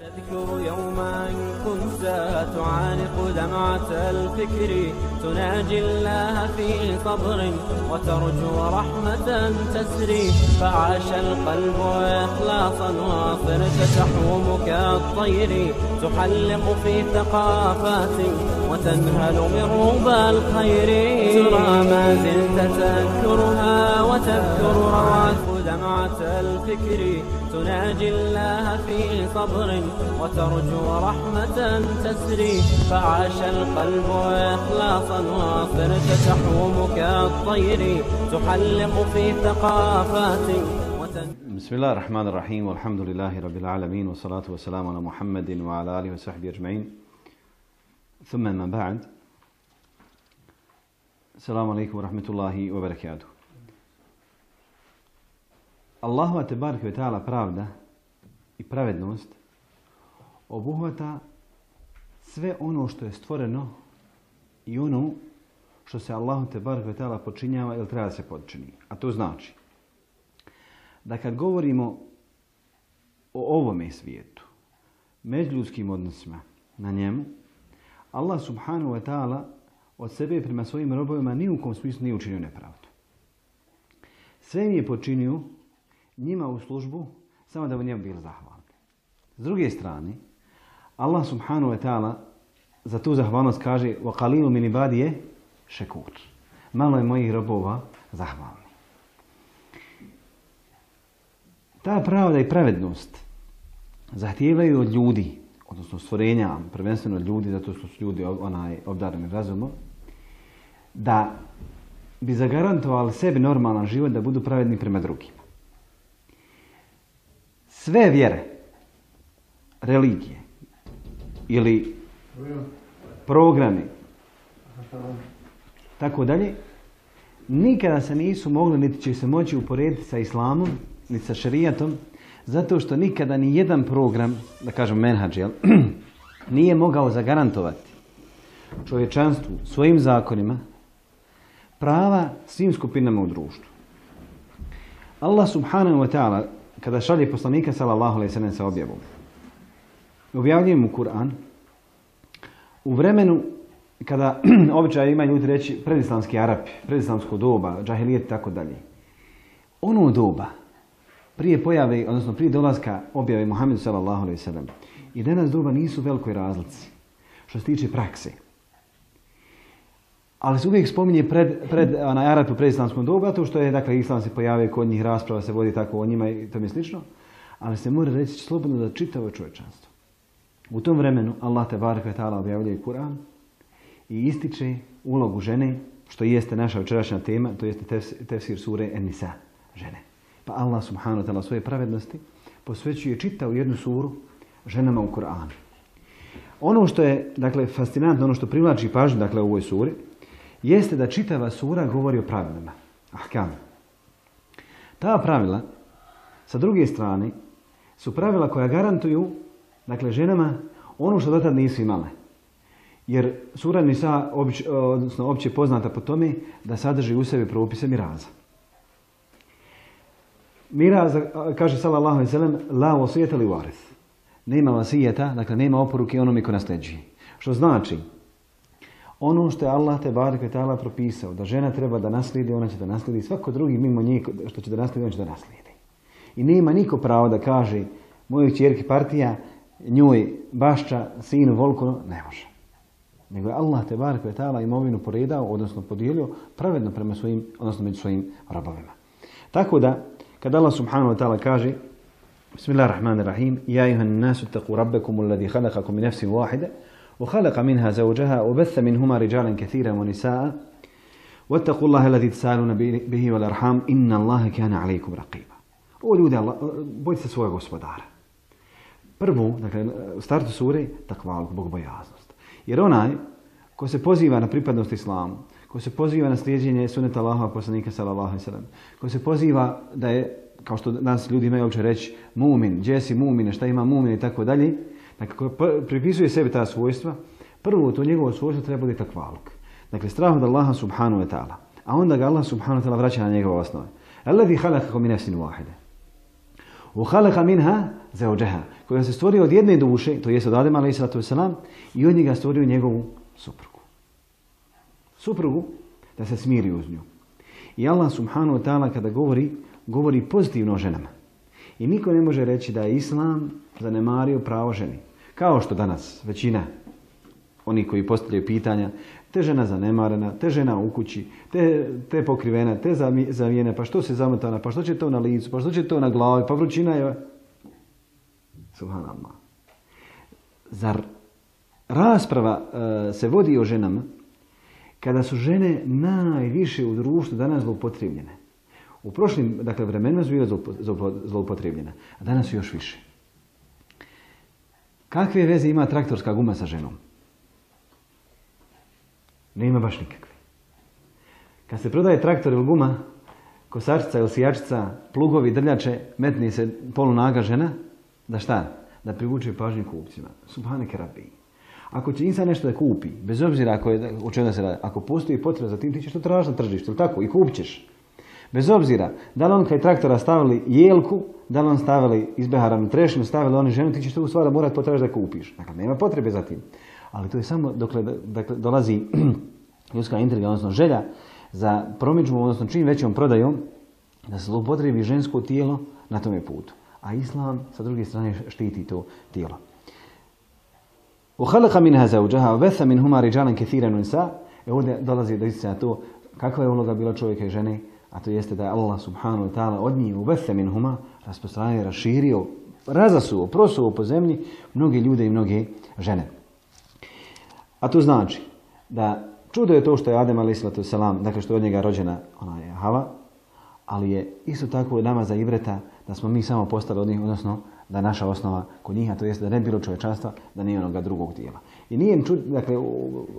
تذكر يوما كنت تعانق دمعة الفكر تناجي الله في صبر وترجو رحمة تسري فعاش القلب إخلاصا وصرت تحوم كالطير تحلق في ثقافات وتنهل من ربى الخير ترى ما زلت تذكرها وتذكر روعة دمعة الفكر تناجي الله في صبر وترجو رحمة تسري فعاش القلب إخلاصا وصرت تحوم كالطير تحلق في ثقافات بسم الله الرحمن الرحيم والحمد لله رب العالمين والصلاة والسلام على محمد وعلى آله وصحبه أجمعين ثم ما بعد السلام عليكم ورحمة الله وبركاته. Allahova tebareke ve ta'ala pravda i pravednost obuhvata sve ono što je stvoreno i ono što se Allahu tebareke ve ta'ala počinjava ili treba da se počini. A to znači da kad govorimo o ovome svijetu, međuljudskim odnosima na njemu, Allah subhanahu wa ta'ala od sebe prema svojim robovima ni u kom smislu nije učinio nepravdu. Sve im je počinio njima u službu, samo da bi njemu bili zahvalni. S druge strane, Allah subhanahu wa ta'ala za tu zahvalnost kaže وَقَلِيلُ مِنْ عِبَادِيَ شَكُورٌ. Malo je mojih robova zahvalni. Ta pravda i pravednost zahtijevaju od ljudi, odnosno stvorenja, prvenstveno od ljudi, zato što su ljudi obdareni razumom, da bi zagarantovali sebi normalan život, da budu pravedni prema drugima. Sve vjere, religije ili programi, tako dalje, nikada se nisu mogli, niti će se moći uporediti sa islamom, niti sa šerijatom, zato što nikada ni jedan program, da kažem menhadž, nije mogao zagarantovati čovječanstvu svojim zakonima prava svim skupinama u društvu. Allah subhanahu wa ta'ala kada šalje poslanika sallallahu alejhi ve sellem sa objavom, objavljuje mu Kur'an u vremenu kada običaj imaju ljudi reći predislamski Arapi, predislamsko doba, džahilijet i tako dalje. Ono doba prije pojave, odnosno prije dolaska objave Muhammedu sallallahu alejhi ve sellem i danas doba nisu u velikoj razlici što se tiče prakse. Ali se uvijek spominje pred Arapi u predislamskom dobu, zato što je, dakle, islam se pojavio, kod njih rasprava se vodi tako o njima i tome slično, ali se mora reći slobodno da čitavo čovječanstvo. U tom vremenu Allah tebareke ve ta'ala objavljuje Kur'an i ističe ulogu žene, što jeste naša večerašnja tema, to jeste tefsir sure En-Nisa, žene. Pa Allah subhanahu wa ta'ala svoje pravednosti posvećuje čitavu jednu suru ženama u Kur'anu. Ono što je, dakle, fascinantno, ono što privlači pažnju, dakle, u ovoj suri, jeste da čitava sura govori o pravilima. Ahkam. Ta pravila, sa druge strane, su pravila koja garantuju, dakle, ženama ono što dotad nisu imale. Jer sura Nisa, odnosno opće poznata po tome da sadrži u sebi propise miraza. Miraz, kaže sallallahu alejhi ve sellem, la wasiyata li warith. Nema vasijeta, dakle, nema oporuke onome ko nasljeđuje. Što znači, ono što je Allah tebareke ve ta'ala propisao, da žena treba da naslijedi, ona će da naslijedi, svako drugi mimo njih što će da naslijedi, on će da naslijedi. I nema niko pravo da kaže mojoj kćerki partija, njoj bašča, sinu volko, ne može. Nego je Allah tebareke ve ta'ala imovinu poredao, odnosno podijelio pravedno prema svojim, odnosno među svojim robovima. Tako da, kad Allah subhanahu wa ta'ala kaže Bismillahirrahmanirrahim Ja ayuhan nasu ittaqu rabbakum alladhi khalaqakum min nafsin wahida وخلق منها زوجها وبث منهما رجالا كثيرا ونساء واتقوا الله الذي تسالون به والارحام ان الله كان عليكم رقيبا. O ljudi, bojte se svojeg gospodara. Prvo, dakle, u startu sure, takvaluk, bogobojaznost. Jer onaj ko se poziva na pripadnost islamu, ko se poziva na slijeđenje suneta Allahova poslanika sallallahu alejhi ve sellem, ko se poziva da je, kao što danas ljudi imaju uopće reći, mumin, gdje si mumine, šta ima mumin i tako dalje, dakle, ko pripisuje sebi ta svojstva, prvo to njegovo svojstvo treba biti takvaluk. Dakle, strah od Allaha subhanahu wa ta'ala. A onda ga Allah subhanahu wa ta'ala vraća na njegove osnove. Alladhi khalaqakum min nafsin wahida. وَخَلَقَ مِنْهَا زَوْجَهَا koja se stvorio od jedne duše, to jest od Adema a.s. i od njega stvorio njegovu suprugu. Suprugu da se smiri uz nju. I Allah subhanahu wa ta'ala kada govori pozitivno o ženama. I niko ne može reći da je Islam zanemario pravo ženi. Kao što danas većina oni koji postavljaju pitanja, te žena zanemarena, te žena u kući, te pokrivena, te zavijena, pa što se zamotana, pa što će to na licu, pa što će to na glavi, pa vrućina je... Subhanallah. Zar rasprava se vodi o ženama kada su žene najviše u društvu danas zloupotrebljene? U prošlim vremenima su bile zloupotrebljene, a danas su još više. Kakve veze ima traktorska guma sa ženom? Nema baš nikakve. Kad se prodaje traktor ili guma, kosačica ili sijačica, plugovi, drljače, metni se polunaga žena, da šta? Da privuče pažnju kupcima. Subhaneke Rabbi. Ako će insan nešto da kupi, bez obzira o čemu se radi, ako postoji potreba za tim, ti ćeš to tražiti na tržištu, ili tako? I kupit ćeš. Bez obzira, da li on kaj traktora stavili jelku, da li on stavili izbeharanu trešinu, stavili oni ženu, ti ćeš to u stvari morati potražiti da kupiš. Dakle, nema potrebe za tim. Ali to je samo dokle dolazi ljudska intriga, odnosno želja za promidžbu, odnosno čim većom prodajom, da se zloupotrebi žensko tijelo na tome putu. A Islam sa druge strane štiti to tijelo. وَخَلَقَ مِنْهَا زَوْجَهَا وَبَثَّ مِنْهُمَا رِجَالًا كَثِيرًا وَنِسَاءً. Ovdje dolazi do istina to kakva je uloga bila čovjeka i žene, a to jeste da je Allah subhanahu wa ta'ala od njih وَبَثَّ مِنْهُمَا rasprostranio, raširio, razasuo, prosuo po zemlji mnoge ljude i mnoge žene. A to znači da čudo je to što je Adem a.s. dakle što je od njega rođena ona je Hava, ali je isto tako nama za ibreta da smo mi samo postali od njih, odnosno da je naša osnova kod njih, a to jeste da ne bilo čovječanstva, da nije onoga drugog tijela. I nije dakle,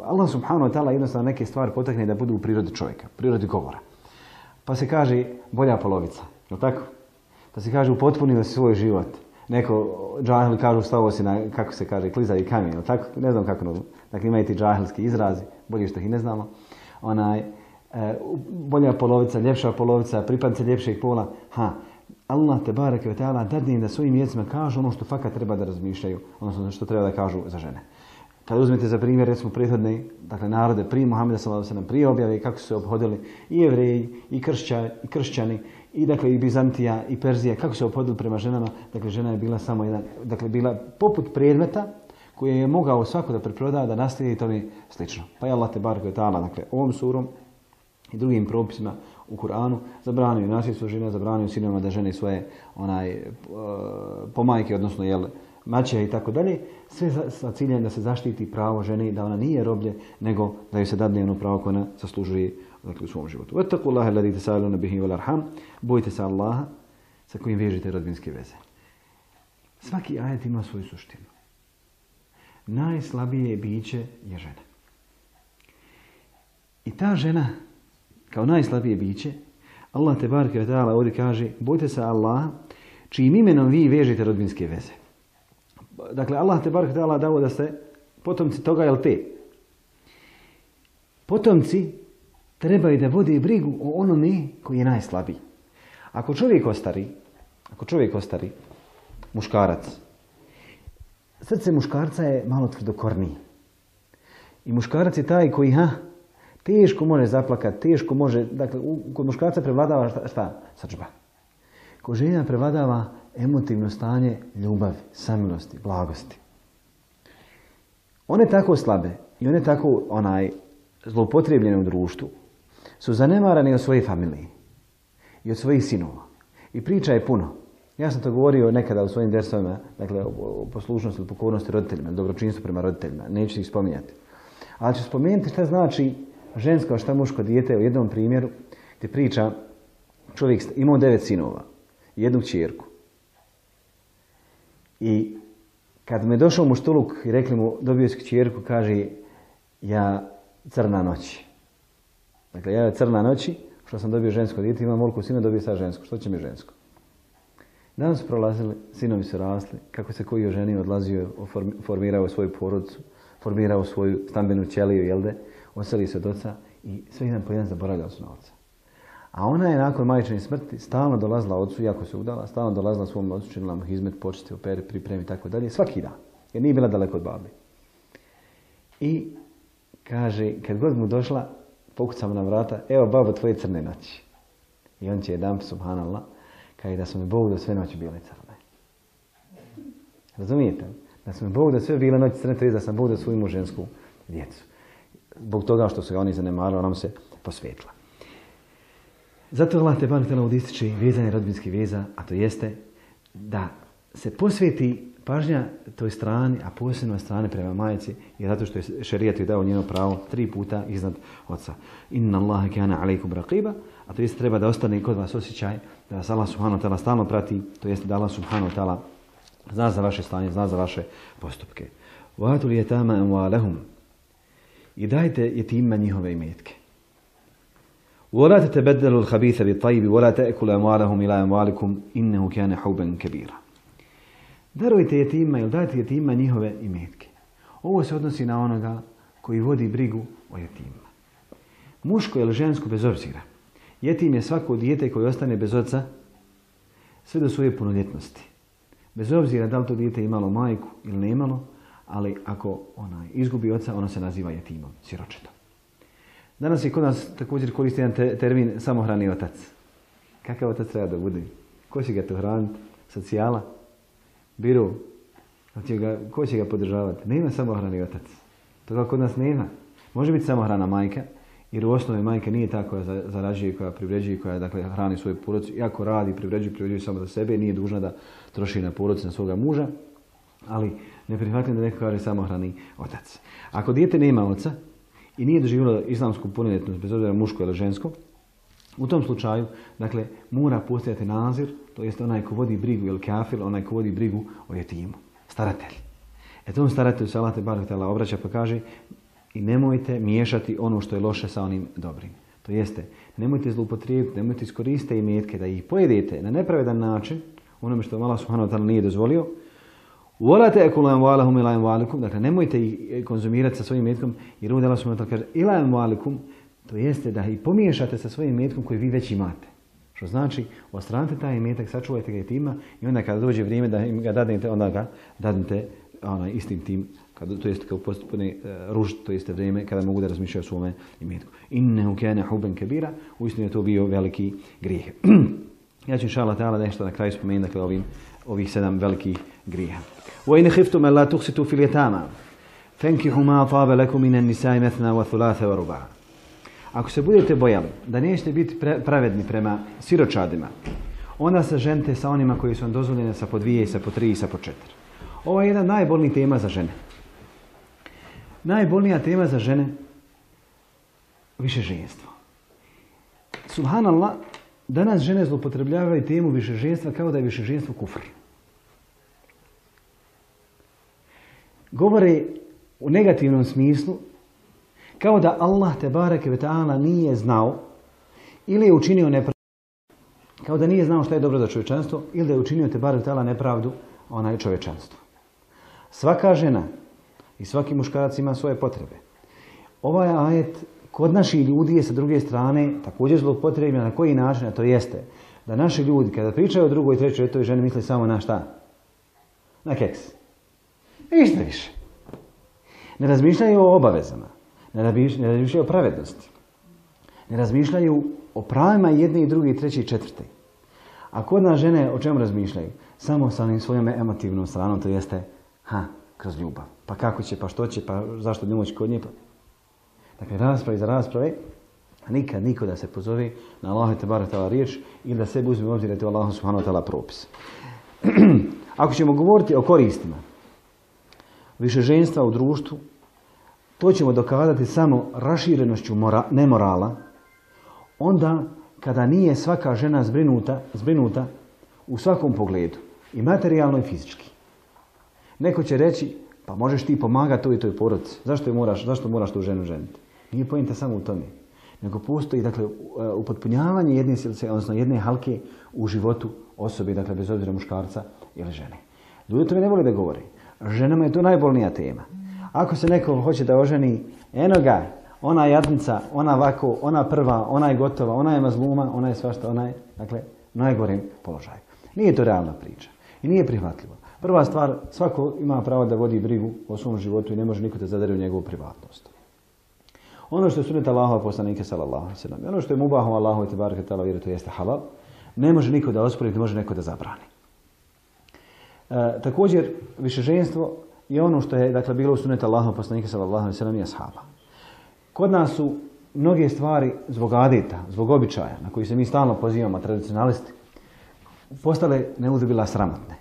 Allah subhanahu wa ta'ala jednostavno neke stvari potakne da budu u prirodi čovjeka, prirodi govora. Pa se kaže bolja polovica, je li tako? Pa se kaže upotpunio si svoj život. Neko džahili kažu stavo si na, kako se kaže, klizavi kamen, je li tako? Ne znam kako, dakle imaju ti džahilski izrazi, bolje što ih ne znamo. Bolja polovica, ljepša polovica, pripadnice ljepšeg pola. Allah te bareke ve ta'ala dadne im da svojim jezicima kažu ono što fakat treba da razmišljaju, odnosno što treba da kažu za žene. Kad uzmete za primjer, recimo prethodne, dakle narode prije Muhameda sallallahu alejhi ve sellem, prije objave kako su se ophodili i Jevreji, i kršćani, i dakle i Bizantija, i Perzija, kako su se ophodili prema ženama, dakle žena je bila samo jedan, dakle bila poput predmeta koje je mogao svako da preproda, da nastavi i tome slično. Pa je Allah te bareke ve ta'ala, dakle ovom surom i drugim propisima u Kur'anu zabranio nasljedstvo žena, zabranio sinovima da žene svoje pomajke, odnosno maće i tako dalje, sve sa ciljem da se zaštiti pravo žene, da ona nije roblje, nego da joj se dadne ono pravo koje ona zaslužuje, dakle, u svom životu. Wattaqullaha alladhi tasaaluna bihi wal arham. Bojte se Allaha sa kojim vežete rodbinske veze. Svaki ajet ima svoju suštinu. Najslabije biće je žena. I ta žena kao najslabije biće, Allah te bareke ve ta'ala ovdje kaže bojte se Allaha čijim imenom vi vežete rodbinske veze. Dakle, Allah te bareke ve ta'ala dao da ste potomci toga ili te. Potomci trebaju da vode brigu o onome koji je najslabiji. Ako čovjek ostari, muškarac, srce muškarca je malo tvrdokorniji. I muškarac je taj koji teško može zaplakati, teško može, dakle, kod muškarca prevladava šta? Srdžba. Kod žena prevladava emotivno stanje ljubavi, samilosti, blagosti. One tako slabe i one tako zloupotrebljene u društvu su zanemarane od svoje familije i od svojih sinova. I priča je puno. Ja sam to govorio nekada u svojim dersovima, dakle o poslušnosti ili pokornosti roditeljima, dobročinstvu prema roditeljima, neću ih spominjati. Ali ću spomenuti šta znači žensko, a šta muško dijete u jednom primjeru gdje priča čovjek imao 9 sinova i jednu kćerku. I kad me došao muštuluk i rekli mu dobio si kćerku, kaže ja crna noći. Dakle, ja crna noći, što sam dobio žensko dijete, imam ovoliko sina, dobio sad žensko. Što će mi žensko? Danas su prolazili, sinovi su rasli, kako se koji oženio, odlazio, formirao svoju porodicu, formirao svoju stambenu ćeliju, odseli se od oca i sve jedan po jedan zaboravljao su na oca. A ona je nakon majčine smrti stalno dolazila ocu, iako se udala, stalno dolazila svom ocu, činila mu hizmet, počesti, opere, pripremi i tako dalje, svaki dan. Jer nije bila daleko od babe. I kaže, kad god mu došla, pokucamo na vrata, evo babo tvoje crne noći. I on će jedan, subhanallah, kaže da su mi Bog da sve noći bile crne. Razumijete? Da su mi Bog da sve bile noći crne, to je da sam Bog da svoju žensku djecu. Zbog toga što su ga oni zanemarili, ona mu se posvetila. Zato Allah te barek tela ističe vezanje rodbinskih veza, a to jeste da se posveti pažnja toj strani, a posebno strane prema majci, jer zato što je šerijat joj dao njeno pravo 3 puta iznad oca. Inna Allaha kana alejkum raqiba, a to jeste treba da ostane kod vas osjećaj da vas Allah subhanahu wa ta'ala stalno prati, to jeste da Allah subhanahu wa ta'ala zna za vaše stanje, zna za vaše postupke. Wa atul yatama amwalahum. I dajte jetimima njihove imetke. ولا تتبدلوا الخبيث بالطيب ولا تأكلوا أموالهم إلى أموالكم إنه كان حوبا كبيرا. Darujte jetima ili dajte jetima njihove imetke. Ovo se odnosi na onoga koji vodi brigu o jetimima. Muško ili žensko bez obzira. Jetim je svako dijete koje ostane bez oca sve do svoje punoljetnosti. Bez obzira da li to dijete imalo majku ili ne imalo, ali ako izgubi oca, ono se naziva jetimom, siročetom. Danas je kod nas također koristi jedan termin samohrani otac. Kakav otac treba da bude? Ko će ga to hraniti? Socijala? Biro? Ko će ga podržavati? Nema samohrani otac. Toga kod nas nema. Može biti samohrana majka, jer u osnovi majka nije ta koja zarađuje, koja privređuje, koja dakle, hrani svoju porodicu. Iako radi, privređuje samo za sebe, nije dužna da troši na porodicu, na svoga muža, ali ne prihvatim da neko kaže samohrani otac. Ako dijete nema oca i nije doživjelo islamsku punoljetnost, bez obzira muško ili žensko, u tom slučaju, dakle, mora postojati nazir, to jest onaj ko vodi brigu ili kafir, onaj ko vodi brigu o jetimu, staratelj. Tom staratelju se Allah te barek tela obraća pa kaže i nemojte miješati ono što je loše sa onim dobrim. To jeste, nemojte zloupotrijebiti, nemojte iskoristiti imetke da ih pojedete na nepravedan način, onome što Allah subhanahu wa ta'ala nije dozvolio. وَلَا تَأْكُلُوا أَمْوَالَهُمْ إِلَى أَمْوَالِكُمْ. Dakle, nemojte ih konzumirati sa svojim imetkom, jer ovdje Allah subhanahu wa ta'ala kaže إِلَى أَمْوَالِكُمْ, to jeste da ih pomiješate sa svojim imetkom koji vi već imate. Što znači, ostranite taj imetak, sačuvajte ga jetima i onda kada dođe vrijeme da im ga dadnete, onda ga dadnete istim tim, to jeste kao postupne ružd, to jeste vrijeme kada mogu da razmišljaju o svome imetku. إِنَّهُ كَانَ حُوبًا كَبِيرًا. Uistinu je to bio veliki grijeh. Ja ću inšallah ta'ala nešto na kraju spomenuti, dakle, ovih 7 velikih grijeha. وَإِنْ خِفْتُمْ أَلَّا تُقْسِطُوا فِي الْيَتَامَى فَانكِحُوا مَا طَابَ لَكُم مِنَ النِّسَاءِ مَثْنَى وَثُلَاثَ وَرُبَاعَ. Ako se budete bojali da nećete biti pravedni prema siročadima, onda se ženite sa onima koji su vam dozvoljene sa po 2 i sa po 3 i sa po 4. Ovo je jedna najbolnija tema za žene. Najbolnija tema za žene višeženstvo. Subhanallah, danas žene zloupotrebljavaju temu višeženstva kao da je višeženstvo kufr. Govore u negativnom smislu kao da Allah te bareke ve ta'ala nije znao ili je učinio nepravdu, kao da nije znao šta je dobro za čovječanstvo ili da je učinio te bareke ve ta'ala nepravdu čovječanstvu. Svaka žena i svaki muškarac ima svoje potrebe. Ovaj ajet kod naših ljudi je sa druge strane također zloupotrebljen na koji način, a to jeste da naši ljudi kada pričaju o drugoj, trećoj, toj ženi misle samo na šta? Na keks. Ništa više. Ne razmišljaju o obavezama, ne razmišljaju o pravednosti, ne razmišljaju o pravima jedne i druge i treće i četvrte. A kod nas žene o čemu razmišljaju? Samo sa onim svojom emotivnom stranom, to jeste kroz ljubav. Pa kako će, pa što će, pa zašto ne moći kod nje? Dakle, rasprave za rasprave, a nikad niko da se pozove na Allahu te barek ta'ala riječ ili da sebi uzme u obzir da je to Allahu subhanahu wa ta'ala propis. Ako ćemo govoriti o koristima višeženstva u društvu, to ćemo dokazati samo raširenošću nemorala, onda kada nije svaka žena zbrinuta u svakom pogledu, i materijalno i fizički. Neko će reći, pa možeš ti pomagati toj i toj porodici, zašto moraš tu ženu ženiti? Nije poenta samo u tome, nego postoji dakle, upotpunjavanje jedne silce, odnosno jedne halke u životu osobe, dakle bez obzira muškarca ili žene. Ljudi o tome ne vole da govore. Ženama je to najbolnija tema. Ako se neko hoće da oženi, eno ga, ona jadnica, ona ovako, ona prva, ona je gotova, ona je mazluma, ona je svašta, ona je, dakle, najgorim položaju. Nije to realna priča i nije prihvatljivo. Prva stvar, svako ima pravo da vodi brigu o svom životu i ne može niko da zadere u njegovu privatnost. Ono što je sunnet Allahova poslanika sallallahu alejhi ve sellem, ono što je mubahom Allahu te bareke taala vjeru, to jeste halal, ne može niko da ospori, ne može neko da zabrani. Također, višeženstvo je ono što je, dakle, bilo u sunnetu Allahova poslanika sallallahu alejhi ve sellem i ashaba. Kod nas su mnoge stvari zbog adeta, zbog običaja, na koji se mi stalno pozivamo, tradicionalisti, postale neuzubila sramotne.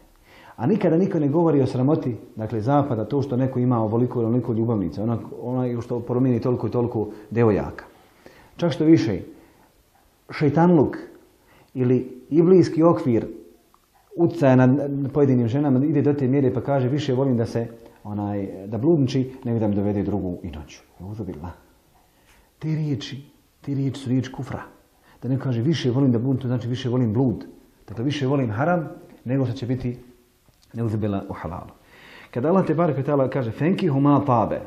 A nikada niko ne govori o sramoti, dakle, zapada, to što neko ima ovoliko ili onoliko ljubavnica, onaj što promijeni toliko i toliko devojaka. Čak što više, šejtanluk ili iblijski okvir utjecaja nad pojedinim ženama ide do te mjere pa kaže više volim da se da bludniči nego da mi dovede drugu i noću. Neuzubila. Te riječi su riječi kufra. Da neko kaže više volim da blud, to znači više volim blud. Dakle, više volim haram nego što će biti neuzubila u halalu. Kada Allah te barek ve taala kaže fenkihu ma tabe.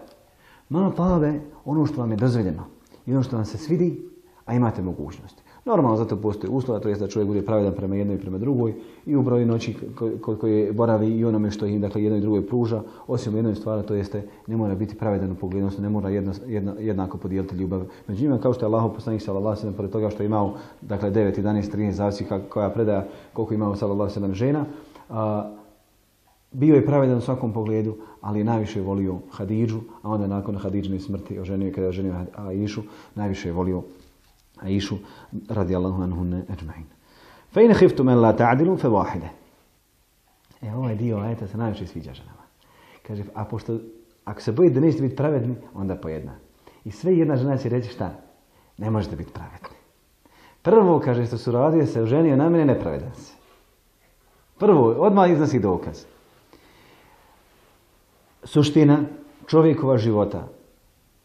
Ma tabe, ono što vam je dozvoljeno i ono što vam se svidi, a imate mogućnosti. Normalno zato postoji uslova, to jest da čovjek bude pravedan prema jednoj i prema drugoj i u broju noći koje boravi i onome što im, dakle, jednoj i drugoj pruža, osim jednoj stvari, to jeste ne mora biti pravedan u pogledu, odnosno ne mora jednako podijeliti ljubav. Među njima, kao što je Allahov poslanik sallallahu alejhi ve sellem, pored toga što je imao, dakle, 9, 11, 13, zavisi koja predaja koliko je imao sallallahu alejhi ve sellem žena, bio je pravedan u svakom pogledu, ali je najviše volio Hadidžu, a onda nakon Hadidžine smrti oženio, kada je oženio Aišu, najviše je volio Aišu radijallahu anhunne ajma'in. Fa in khiftum an la ta'dilu fa wahida. Ovaj dio ajeta se najviše sviđa ženama. Kaže, a pošto ako se bojite da nećete biti pravedni, onda po jedna. I sve jedna žena će reći šta? Ne možete biti pravedni. Prvo, kaže, što su radio se oženio na mene, nepravedan se. Prvo, odmah iznosi dokaz. Suština čovjekova života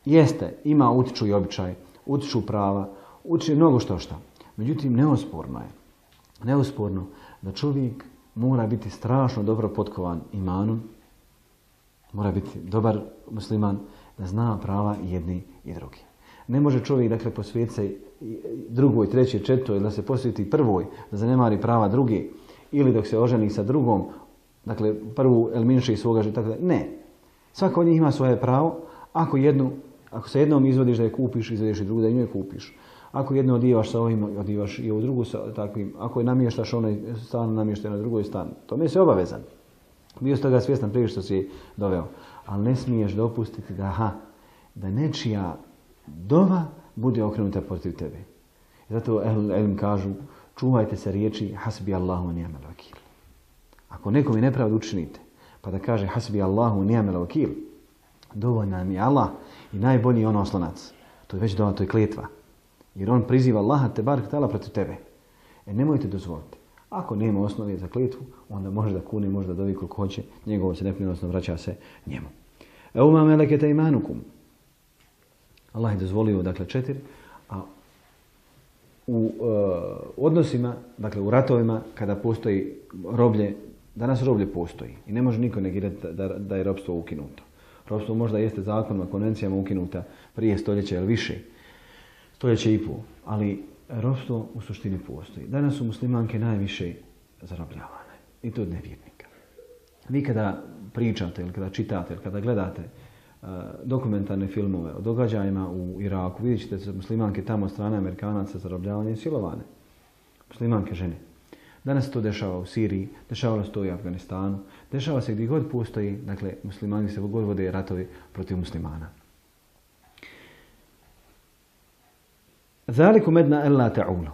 jeste, ima utiču i običaj, utiču prava, utiče mnogo što. Međutim, neosporno da čovjek mora biti strašno dobro potkovan imanom, mora biti dobar musliman, da zna prava jedni i drugi. Ne može čovjek, dakle, posvetiti se drugoj, trećoj, četvrtoj, da se posveti prvoj, da zanemari prava druge, ili dok se oženi sa drugom, dakle, prvu eliminira iz svoga života. Ne. Svako od njih ima svoje pravo. Ako se jednom izvodiš da je kupiš, izvodiš i drugu da je kupiš. Ako jedno odijevaš sa ovim, odijevaš i ovu drugu sa takvim. Ako je namještaš onaj stan, namještaj na drugoj stan. Tome si obavezan. Bio si toga svjestan prije što si doveo. Ali ne smiješ dopustiti da nečija dova bude okrenuta protiv tebe. I zato Elim kažu, čuvajte se riječi hasbi Allahu wa ni'mal vakil. Ako nekom je nepravdu učinite, pa da kaže hasbi Allahu wa ni'mal vakil, dovoljna mi je Allah i najbolji on oslonac. To je već dova, to je kletva. Jer on priziva Allaha te barek taala protiv tebe. Nemojte dozvoliti. Ako nema osnove za kletvu, onda može da kune, može da dovi koliko hoće, njegovo se neprinosno vraća se njemu. Euma melekete imanukum. Allah je dozvolio, dakle, 4, a u odnosima, dakle u ratovima, kada postoji roblje, danas roblje postoji i ne može niko negirati da je ropstvo ukinuto. Ropstvo možda jeste zakonima, konvencijama ukinuta prije stoljeća ili više, stoljeće i pol, ali ropstvo u suštini postoji. Danas su muslimanke najviše zarobljavane i to od nevjernika. Vi kada pričate ili kada čitate ili kada gledate dokumentarne filmove o događajima u Iraku, vidjet ćete se muslimanke tamo od strane Amerikanaca zarobljavane i silovane. Muslimanke žene. Danas se to dešava u Siriji, dešavalo se to i u Afganistanu, dešava se gdje god postoji, dakle, muslimani se god vode ratovi protiv muslimana. Zalikum edna ella ta'ulu.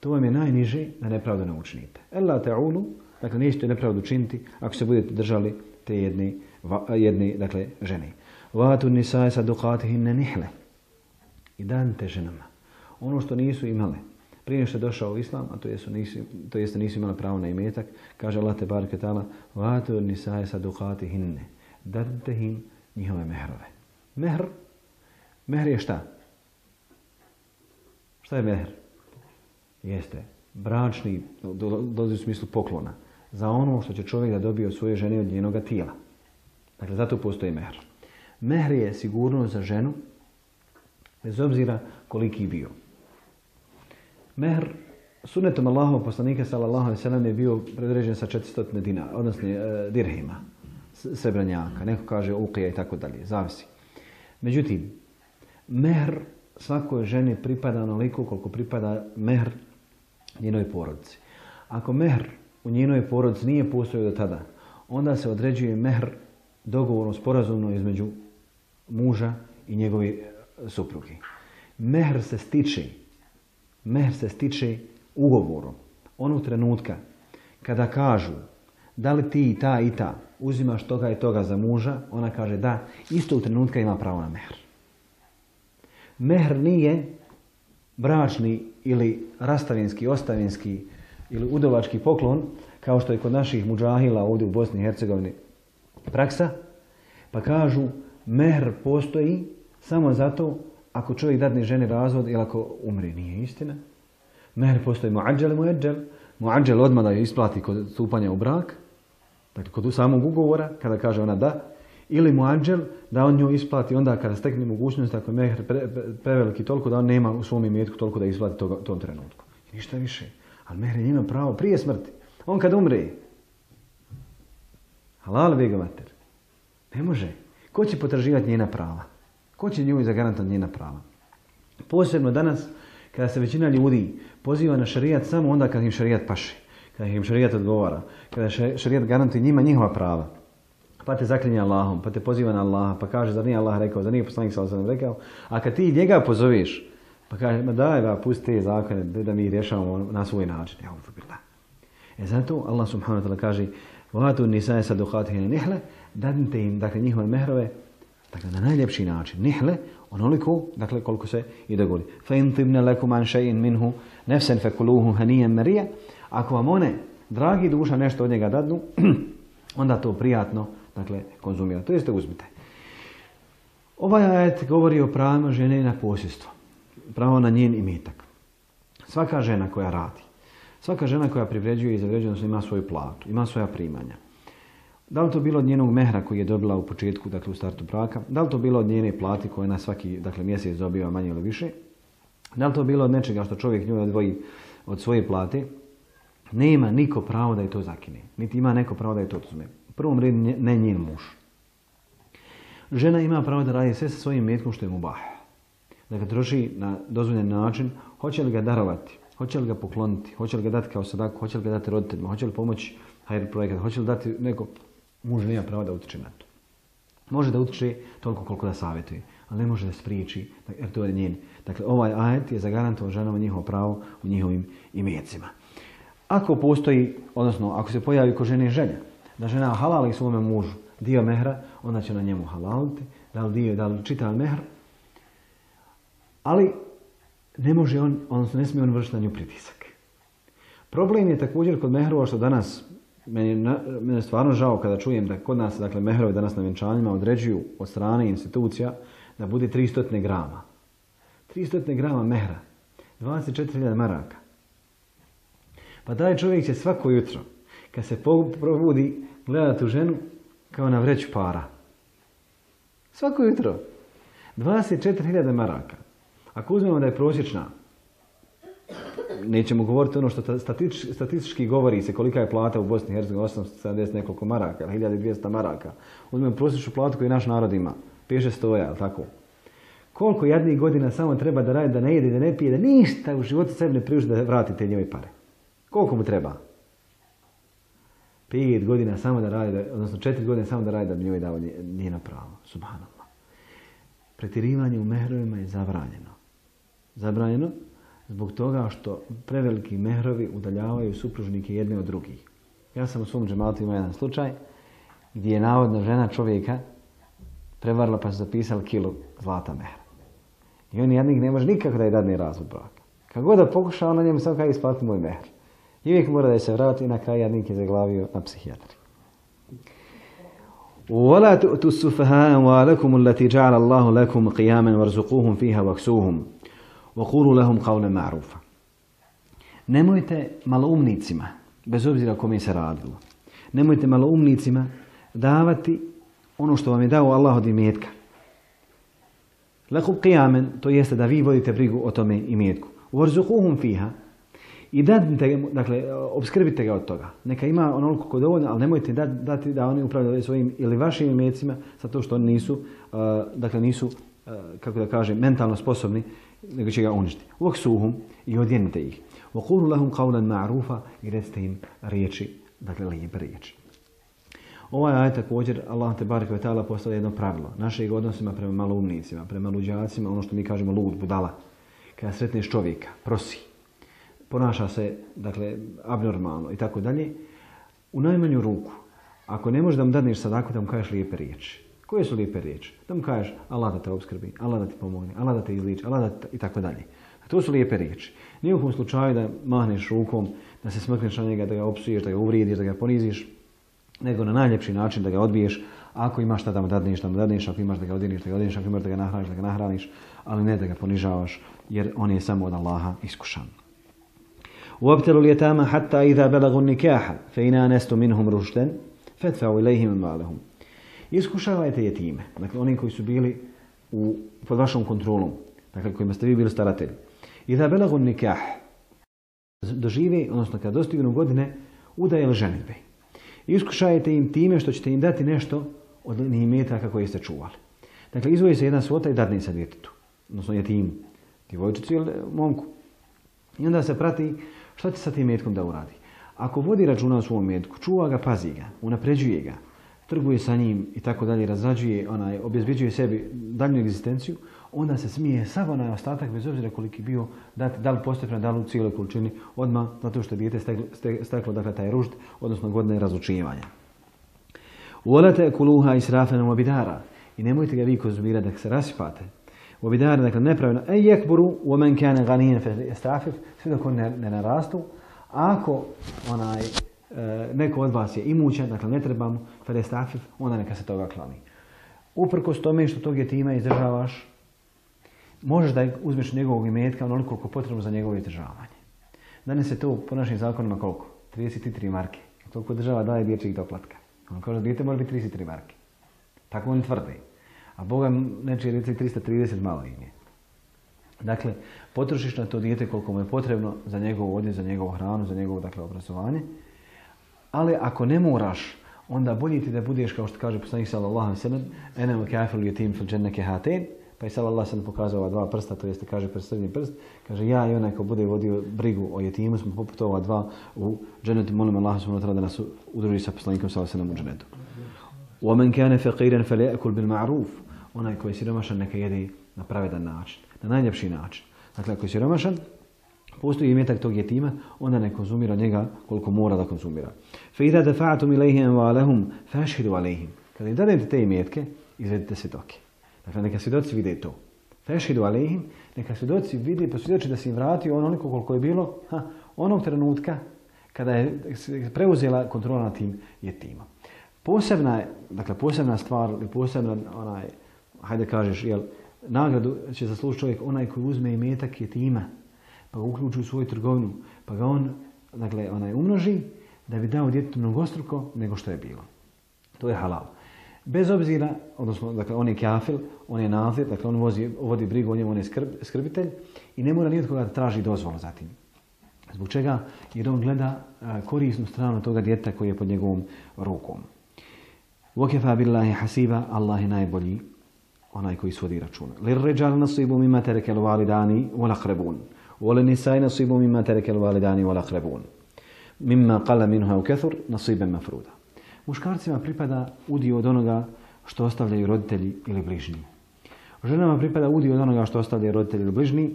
To vam je najniže da nepravdu ne učinite. Ella ta'ulu, dakle, nećete nepravdu učiniti ako se budete držali te jedne, dakle, žene. Vatu nisae sadukatihinne nihle. I danite ženama ono što nisu imale prije što je došao u islam, a to jeste nisu imali pravo na imetak, kaže Allah te bareke taala: "Vatu nisae sadukatihinne." Dajte im njihove mehrove. Mehr je šta? Šta je mehr? Jeste bračni, dolazi u smislu poklona za ono što će čovjek da dobije od svoje žene od njenoga tijela. Dakle, zato postoji mehr. Mehr je sigurnost za ženu bez obzira koliki bio. Mehr sunnetom Allahovog poslanika sallallahu alejhi ve sellem je bio predređen sa 400 dinara, odnosno dirhima, srebranjaka. Neko kaže uqija i tako dalje, zavisi. Međutim, mehr svakoj ženi pripada onoliko koliko pripada mehr njenoj porodici. Ako mehr u njenoj porodici nije postojao do tada, onda se određuje mehr dogovorno, sporazumno između muža i njegove supruge. Mehr se stiče ugovorom. Onog trenutka kada kažu da li ti ta i ta uzimaš toga i toga za muža, ona kaže da, istog trenutka ima pravo na mehr. Mehr nije bračni ili rastavinski, ostavinski ili udovački poklon, kao što je kod naših mudžahila ovdje u Bosni i Hercegovini praksa, pa kažu mehr postoji samo zato ako čovjek dadne ženi razvod ili ako umri. Nije istina. Mehr postoji muadžel i muadžel. Muadžel odmah da je isplati kod stupanja u brak, dakle kod samog ugovora, kada kaže ona da, ili muadžel da on nju isplati onda kada stekne mogućnost, ako je mehr preveliki toliko da on nema u svom imetku toliko da isplati tom trenutku. I ništa više. Ali mehr ima pravo prije smrti. On kad umre, halal vega mater, ne može. Ko će potraživati njena prava? Ko će nju zagarantovati njena prava? Posebno danas, kada se većina ljudi poziva na šerijat samo onda kad im šerijat paše, kada im šerijat odgovara, kada šerijat garantuje njima njihova prava. Pa te zaklinja Allahom, pa te poziva na Allaha, pa kaže zar nije Allah rekao, zar nije poslanik sallallahu alejhi ve sellem rekao, a kad ti njega pozoveš, pa kaže, ma daj, pusti te zakone da mi rješavamo na svoj način. Zato Allah subhanahu wa ta'ala kaže وَهَاتُوا النِّسَاءَ صَدُقَاتِهِنَّ نِحْلَ, dadnite im, dakle, njihove mehrove, dakle, na najljepši način. Nihle, onoliko, dakle, koliko se i dogodi. فَإِنْ طِبْنَ لَكُمْ عَنْ شَيْءٍ مِنْهُ نَفْسًا فَكُلُوهُ هَنِيًّا مَرِيًّا. Ako vam one, dragi duša, nešto od njega dadnu, onda to prijatno, dakle, konzumira. To jeste uzmite. Ovaj ajet govori o pravima žene na posjedstvo. Pravo na njen imetak. Svaka žena koja radi, svaka žena koja privređuje i zavređuje, ima svoju platu, ima svoja primanja. Da li to bilo od njenog mehra koji je dobila u početku, dakle u startu braka, da li to bilo od njene plati koje na svaki, dakle, mjesec dobiva manje ili više, da li to bilo od nečega što čovjek nju odvoji od svoje plate, nema niko pravo da je to zakine, niti ima neko pravo da je to oduzme. U prvom redu ne njen muž. Žena ima pravo da radi sve sa svojim imetkom što je mubah. Da ga troši na dozvoljen način, hoće li ga darovati, hoće li ga pokloniti, hoće li ga dati kao sadaku, hoće li ga dati roditeljima, hoće li pomoći hajr projekat, hoće li dati neko, muž nema pravo da utiče na to. Može da utiče toliko koliko da savjetuje, ali ne može da spriječi, jer to je njen. Dakle, ovaj ajet je zagarantovao ženama njihovo pravo u njihovim imecima. Ako postoji, odnosno ako se pojavi kod žene želja, da žena halali svome mužu dio mehra, onda će na njemu halaliti, da li čitav mehr, ali ne može on, odnosno ne smije on vršiti na nju pritisak. Problem je također kod mehrova što danas, meni je stvarno žao kada čujem da kod nas, dakle, mehrovi danas na vjenčanjima određuju od strane institucija da bude 300 grama. 300 grama mehra, 24.000 maraka. Pa taj čovjek će svako jutro, kad se probudi, gledati u ženu kao na vreću para. Svako jutro. 24.000 maraka. Ako uzmemo da je prosječna, nećemo govoriti ono što statistički govori se kolika je plata u Bosni i Hercegovini, 870 nekoliko maraka, 1200 maraka. Uzmemo prosječnu platu koju naš narod ima, 5-600, ali tako. Koliko jednih godina samo treba da radi, da ne jede, da ne pije, da ništa u životu sebi ne priuži da vrati te njove pare. Koliko mu treba? 5 godina samo da radi, odnosno 4 godine samo da radi da bi njoj dao njena prava. Subhanallah. Pretjerivanje u mehrovima je zabranjeno. Zabranjeno zbog toga što preveliki mehrovi udaljavaju supružnike jedne od drugih. Ja sam u svom džematu imao jedan slučaj gdje je navodna žena čovjeka prevarila pa su zapisali kilu zlata mehra. I on jednik ne može nikako da je dadne razvod braka. Kako god da pokuša, ona njemu samo kada isplati moj mehr. I uvijek mora da se vrati i na kraju jednik je zaglavio na psihijatri. وَلَا تُؤْتُوا السُّفَهَاءَ أَمْوَالَكُمُ الَّتِي جَعَلَ اللَّهُ لَكُمْ قِيَامًا وَارْزُقُوهُمْ فِيهَا وَاكْسُوهُمْ وَقُولُوا لَهُمْ قَوْلًا مَعْرُوفًا. Nemojte maloumnicima, bez obzira kome se radilo, nemojte maloumnicima davati ono što vam je dao Allah od imetka. Lakum qiyamen, to jeste da vi vodite brigu o tome imetku. Warzuquhum fiha, i dakle, obskrbite ga od toga. Neka ima onoliko ko dovoljno, ali nemojte dati da oni upravljaju svojim ili vašim imecima, zato što oni nisu, kako da kažem, mentalno sposobni, nego će ga uništiti. Waksuhum, i odjenite ih. Waqulu lahum qawlan ma'rufa, i recite im riječi, dakle, lijepe riječi. Ovaj ajet također, Allah te barek ve ta'ala postavlja jedno pravilo. Našeg odnosima prema maloumnicima, prema luđacima, ono što mi kažemo lud, budala. Kada sretneš čovjeka, prosi, ponaša se, dakle, abnormalno i tako dalje, u najmanju ruku, ako ne možeš da mu dadneš sadaku, da mu kažeš lijepe riječi. Koje su lijepe riječi? Da mu kažeš Allah da te obskrbi, Allah da ti pomogne, Allah da te izliči, Allah da te i tako dalje. To su lijepe riječi. Nije u kom slučaju da mahneš rukom, da se smrkneš na njega, da ga opsuješ, da ga uvrijediš, da ga poniziš, nego na najljepši način da ga odbiješ. Ako imaš šta da mu dadneš, ako imaš da ga odjeniš, da ga odjeniš, ako imaš da ga nahraniš, ali ne da ga ponižavaš, jer on je samo od Allaha iskušan. وَابْتَلُوا الْيَتَامَ حَتَّى إِذَا بَلَغُوا النِّكَاحَ فَإِنْ آنَسْتُم مِّنْهُمْ رُشْدًا فَادْفَعُوا إِلَيْهِمْ أَمْوَالَهُمْ. Iskušavajte jetime, dakle oni koji su bili pod vašom kontrolom, dakle kojima ste vi bili staratelji. إِذَا بَلَغُوا النِّكَاحَ, dožive, odnosno kada dostignu godine udaje ili ženidbe. Iskušajte im time što ćete im dati nešto od imetaka koje ste čuvali. Dakle, izvoji se jedna svota i dadne se djetetu, odnosno jetimu, djevojčici ili momku. I onda se prati šta će sa tim imetkom da uradi. Ako vodi računa o svom imetku, čuva ga, pazi ga, unapređuje ga, trguje sa njim i tako dalje, razrađuje, obezbeđuje sebi daljnju egzistenciju, onda se smije sav onaj ostatak, bez obzira koliki bio, dati da li postepeno, da li u cijeloj količini, odmah zato što je dijete steklo dakle, taj ružd, odnosno godine razlučivanja. وَلَا تَأْكُلُوهَا إِسْرَافًا وَبِدَارًا, i nemojte ga vi konzumirati da se rasipate. وَبِدَارًا, dakle nepravilno, أَنْ يَكْبُرُوا وَمَنْ كَانَ غَنِيًّا فَلْيَسْتَعْفِفْ, sve dok on ne narastu. Ako neko od vas je imućan, dakle ne treba mu, فَلْيَسْتَعْفِفْ, onda neka se toga kloni. Uprkos tome što tog jetima izdržavaš, možeš da uzmeš njegovog imetka onoliko koliko je potrebno za njegovo izdržavanje. Danas je to po našim zakonima koliko? 33 marke. Toliko država daje dječjih doplatka. On kaže da dijete mora biti 33 marke. Tako oni tvrde. A Boga nečije djece 330 malo im je. Dakle, potrošiš na to dijete koliko mu je potrebno za njegovu odjeću, za njegovu hranu, za njegovo dakle, obrazovanje. Ali ako ne moraš, onda bolje ti da budeš, kao što kaže poslanik sallallahu alejhi ve sellem, ene wa kafilu yatim fil džennati hatain, pa je sallallahu alejhi ve sellem pokazao ova dva prsta, to jeste kaže srednji prst, kaže ja i onaj ko bude vodio brigu o jetimu smo poput ova dva u džennetu, molim Allaha subhanahu wa ta'ala da nas udruži sa poslanikom sallallahu alejhi ve sellem u džennetu. Wa man kana faqiran falyakul bil ma'ruf, onaj koji je siromašan neka jede na pravedan način, na najljepši način. Dakle, ako je siromašan, postoji imetak tog jetima, onda ne konzumira njega koliko mora da konzumira. فَإِذَا دَفَعْتُمْ إِلَيْهِمْ أَمْوَالَهُمْ فَأَشْهِدُوا عَلَيْهِمْ. Kada im dadete te imetke, izvedite svjedoke. Dakle, neka svjedoci vide to. فَأَشْهِدُوا عَلَيْهِمْ, neka svjedoci vide i posvjedoči da se im vratio onoliko koliko je bilo onog trenutka kada je preuzela kontrola nad tim jetimom. Posebna stvar ili posebna hajde kažeš, nagradu će zaslužiti čovjek onaj koji uzme imetak jetima, pa ga uključi u svoju trgovinu, pa ga on umnoži da bi dao djetetu mnogostruko nego što je bilo. To je halal. Bez obzira, odnosno, dakle, on je kafil, on je nazir, dakle, on vodi brigu o njemu, on je skrbitelj i ne mora ni od koga da traži dozvolu za tim. Zbog čega? Jer on gleda korisnu stranu toga djeteta koji je pod njegovom rukom. وَكَفَى بِاللَّهِ حَسِيبًا, Allah je najbolji, onaj koji svodi računa. لِلرِّجَالِ نَصِيبٌ مِمَّا تَرَكَ الْوَالِدَانِ وَالْأَقْرَبُونَ وَلِلنِّسَاءِ نَصِيبٌ مِمَّا تَرَكَ الْوَالِدَانِ وَالْأَقْرَبُونَ مِمَّا قَلَّ مِنْهُ أَوْ كَثُرَ نَصِيبًا مَفْرُوضًا. Muškarcima pripada udio od onoga što ostavljaju roditelji ili bližnji. Ženama pripada udio od onoga što ostavljaju roditelji ili bližnji,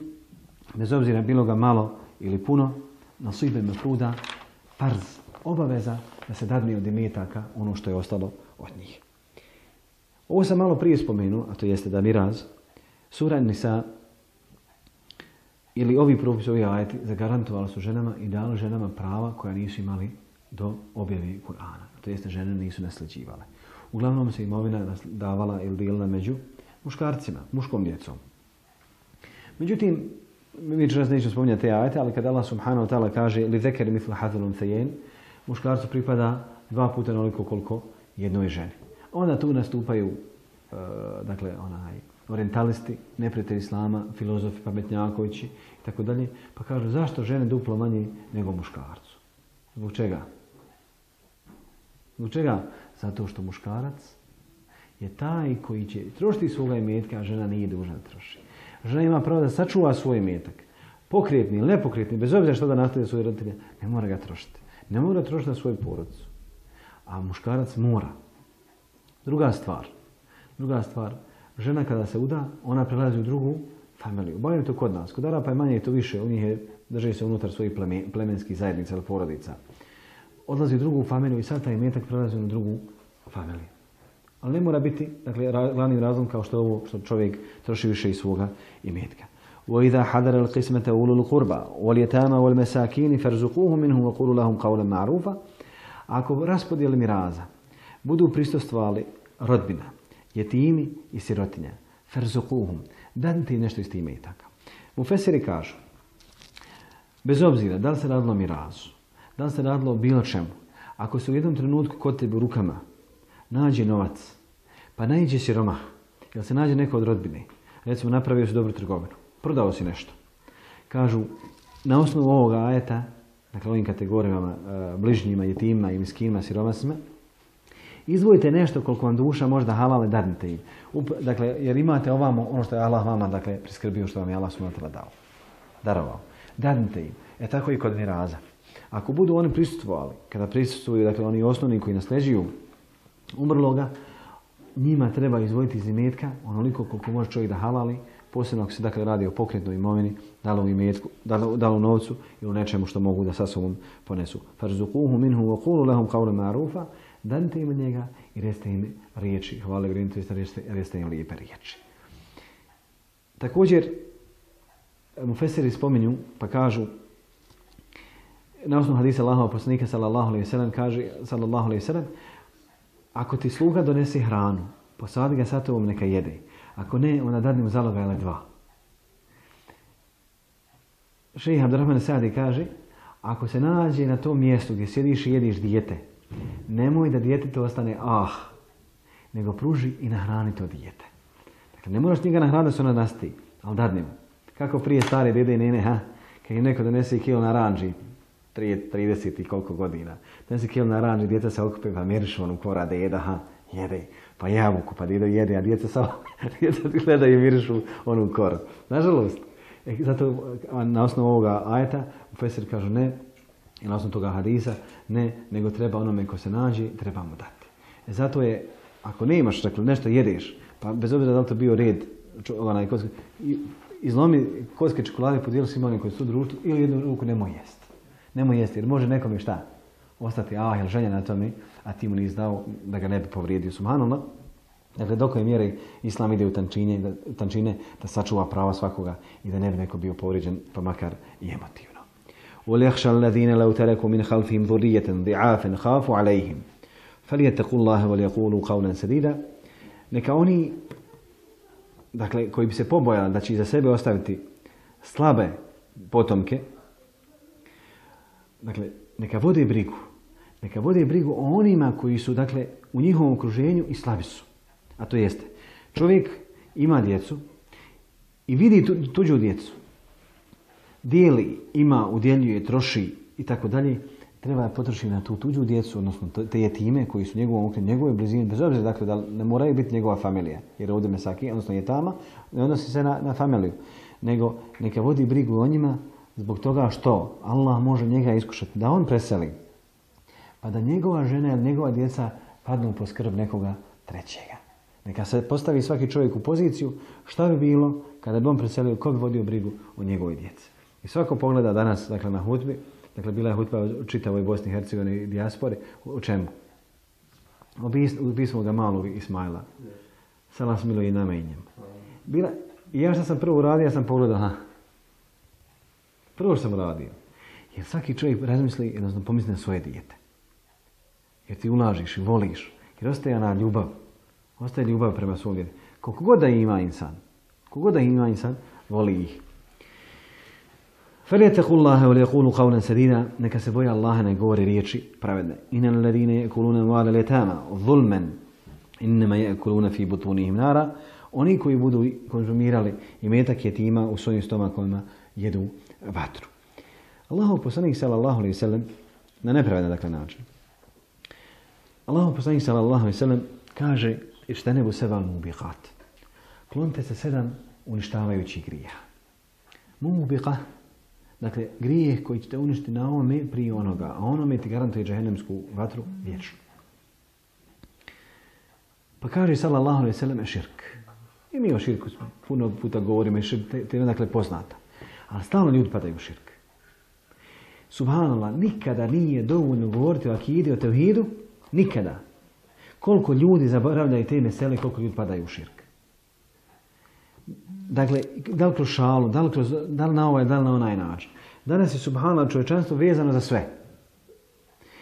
bez obzira bilo ga malo ili puno, nasiben mafruda, farz, obaveza da se dadne od imetaka ono što je ostalo od njih. Ovo sam malo prije spomenuo, a to jeste da miraz, sura Nisa ili ovi propisi, ovi ajeti zagarantovali su ženama i dali ženama prava koja nisu imali do objave Kur'ana. To jeste žene nisu nasljeđivale. Uglavnom se imovina davala ili dijelila među muškarcima, muškom djecom. Međutim, mi čas nećemo spominjati te ajete, ali kada Allah subhanahu wa ta'ala kaže li zekeri mithla hathil unthayayn, muškarcu pripada 2 puta onoliko koliko jednoj ženi. Onda tu nastupaju orientalisti, neprijatelji islama, filozofi, pametnjakovići i tako dalje, pa kažu zašto žene duplo manje nego muškarcu? Zbog čega? Zbog čega? Zato što muškarac je taj koji će trošiti svoga imetka, a žena nije dužna da troši. Žena ima pravo da sačuva svoj imetak. Pokretni ili nepokretni, bez obzira što da nastaje svoje roditelje, ne mora ga trošiti. Ne mora trošiti na svoju porodicu. A muškarac mora. Druga stvar, žena kada se uda, ona prelazi u drugu familiju. Bavim to kod nas. Kod Arapa je manje to više, u njih je, drži se unutar svojih plemenskih zajednica ili porodica. Odlazi u drugu familiju i sad taj imetak prelazi na drugu familiju. Ali ne mora biti, dakle, glavni razlog kao što je ovo, što čovjek troši više iz svoga imetka. وَإِذَا حَدَرَ الْقِسْمَةَ أُولُو الْقُرْبَى وَالْيَتَامَ وَالْمَسَاكِينِ فَارْزُقُوهُمْ مِنْهُ وَقُولُوا لَهُمْ قَوْلًا مَعْرُوفًا. Ako raspodijeli miraza budu prisustvovali rodbina, jetimi i sirotinja, فَارْزُقُوهُمْ, dadite im nešto iz tih imetaka. Mufesiri kažu, bez obzira da li se radilo o mirazu, da li se radilo o bilo čemu, ako se u jednom trenutku kod tebe u rukama nađe novac, pa naiđe siromah, jel se nađe neko od rodbine, recimo napravio si dobru trgovinu, prodao si nešto. Kažu, na osnovu ovoga ajeta, dakle ovim kategorijama, bližnjima, jetimima i miskinima, siromasima, izdvojite nešto koliko vam duša možda halale, dadnite im. Dakle, jer imate ovamo ono što je Allah vama, dakle, priskrbio, što vam je Allah subhanahu dao, darovao. Dadnite im. Tako i kod miraza. Ako budu oni prisustvovali, kada prisustvuju, dakle, oni osnovni koji nasljeđuju umrloga, njima treba izdvojiti iz imetka onoliko koliko može čovjek da halali, posebno ako se dakle radi o pokretnoj imovini, da li u imetku, da li u novcu ili u nečemu što mogu da sa sobom ponesu. Farzuquhu minhu wa qulu lahum qawlan ma'rufa, danite im njega i recite im riječi, hvale vrijedne, to jest recite im lijepe riječi. Također, mufesiri spominju, pa kažu, na osnovu hadisa Allahova poslanika sallallahu alejhi ve sellem kaže sallallahu alejhi ve sellem, ako ti sluga donese hranu, posadi ga sa tobom neka jede. Ako ne, onda dadni mu zaloga ili 2. Šejh Abdurrahman Sa'di kaže, ako se nađe na tom mjestu gdje sjediš i jediš dijete, nemoj da djetetu ostane nego pruži i nahrani to dijete. Dakle, ne moraš njega nahraniti da se ona nasti, ali dadni mu. Kako prije stare dede i nene, kad im neko donese kilo naranđi, 30 i koliko godina. Donese kilo naranđi, djeca se okupe pa mirišu onu kora deda, jede. Pa jabuku, pa djedo jede, a djeca samo gleda i mirišu onu koru. Nažalost, zato na osnovu ovoga ajeta, mufesiri kažu ne, i na osnovu toga hadisa, ne, nego treba onome ko se nađe, treba mu dati. Zato je, ako ne imaš, dakle, nešto jedeš, pa bez obzira da li to bio red, izlomi kocke čokolade, podijeli svima onim koji su u društvu, ili jednu ruku nemoj jesti. Nemoj jesti, jer može nekome šta? Ostati, jel ženja na tome, a ti mu nisi dao da ga ne bi povrijedio. Subhanallah. Dakle, dok je mjere Islam ide u tančine da sačuva prava svakoga i da ne bi neko bio povrijeđen, pa makar i emotivno. وَلْيَخْشَ الَّذِينَ لَوْ تَرَكُوا مِنْ خَلْفِهِمْ ذُرِّيَّةً ضِعَافًا خَافُوا عَلَيْهِمْ فَلْيَتَّقُوا اللَّهَ وَلْيَقُولُوا قَوْلًا سَدِيدًا. Neka oni, dakle, koji bi se pobojali da će iza sebe ostaviti slabe potomke, dakle, neka vode brigu o onima koji su, dakle, u njihovom okruženju i slabi su. A to jeste, čovjek ima djecu i vidi tuđu djecu. Dijeli, ima, udjeljuje, troši i tako dalje. Treba je potrošiti na tu tuđu djecu, odnosno te jetime koji su njegove blizine, bez obzira, dakle, da ne moraju biti njegova familija. Jer ovdje mesaki, odnosno jetama, ne odnosi se na familiju. Nego neka vodi brigu o njima zbog toga što Allah može njega iskušati da on preseli. Pa da njegova žena ili njegova djeca padnu po skrb nekoga trećega. Neka se postavi svaki čovjek u poziciju šta bi bilo kada bi on preselio, ko bi vodio brigu o njegovoj djeci. I svako pogleda danas, dakle, na hutbi, dakle, bila je hutba u čitavoj Bosni i Hercegovini i dijaspori, u čemu? Ubistvu ga malog Ismaila. Salas milo i namenjem. I ja što sam prvo uradio, ja sam pogledao, prvo što sam uradio. Jer svaki čovjek razmisli, odnosno pomisli na svoje dijete. Jer ti ulažiš i voliš. Jer ostaje ona ljubav. Ostaje ljubav prema svom djetetu. Koliko god da ima insan, voli ih. فَلْيَتَّقُوا اللَّهَ وَلْيَقُولُوا قَوْلًا سَدِيدًا. Neka se boje Allaha, ne govori riječi pravedne. إِنَّ الَّذِينَ يَأْكُلُونَ أَمْوَالَ الْيَتَامَى ظُلْمًا إِنَّمَا يَأْكُلُونَ فِي بُطُونِهِمْ نَارًا. Oni koji budu konzumirali imetak jetima u svojim stomakovima jedu vatru. Allahov poslanik sallallahu alejhi ve sellem na nepravedan način. Allahov poslanik sallallahu alejhi ve sellem kaže: "Ijtanibu sab'al mubiqat." Klonite se 7 uništavajućih grijeha. Mubiqa, dakle grijeh koji će te uništiti na ovome prije onoga, a onome ti garantuje džehennemsku vatru vječno. Pa kaže sallallahu alejhi ve sellem širk. I mi o širku puno puta govorimo, širk te je dakle poznata. Ali stalno ljudi padaju u širk. Subhanallah, nikada nije dovoljno govoriti o akidi, o tevhidu, nikada. Koliko ljudi zaboravljaju te mesele, koliko ljudi padaju u širk. Dakle, da li kroz šalu, da li na ovaj, da li na onaj način. Danas je subhanallah čovječanstvo vezano za sve.